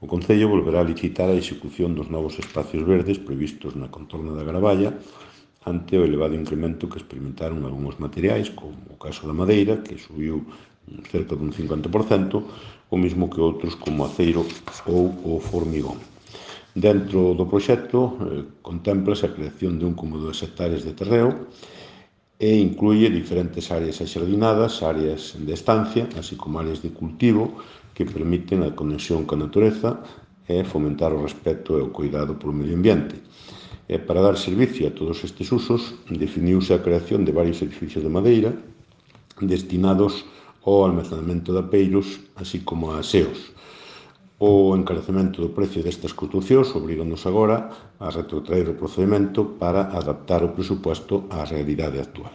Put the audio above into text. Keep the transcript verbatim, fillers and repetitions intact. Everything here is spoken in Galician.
O Concello volverá a licitar a execución dos novos espacios verdes previstos na contorna da Gravalla ante o elevado incremento que experimentaron algúns materiais, como o caso da madeira, que subiu cerca dun cincuenta por cento, o mesmo que outros como o aceiro ou o formigón. Dentro do proxecto eh, contémplase a creación de un coma dúas hectáreas de terreo e incluye diferentes áreas axardinadas, áreas de estancia, así como áreas de cultivo que permiten a conexión coa natureza e fomentar o respeto e o cuidado polo medio ambiente. E para dar servicio a todos estes usos, definiuse a creación de varios edificios de madeira destinados ao almacenamento de apeiros, así como a aseos. O encarecemento do precio destas construcións obriga-nos agora a retrotraer o procedimento para adaptar o presuposto á realidade actual.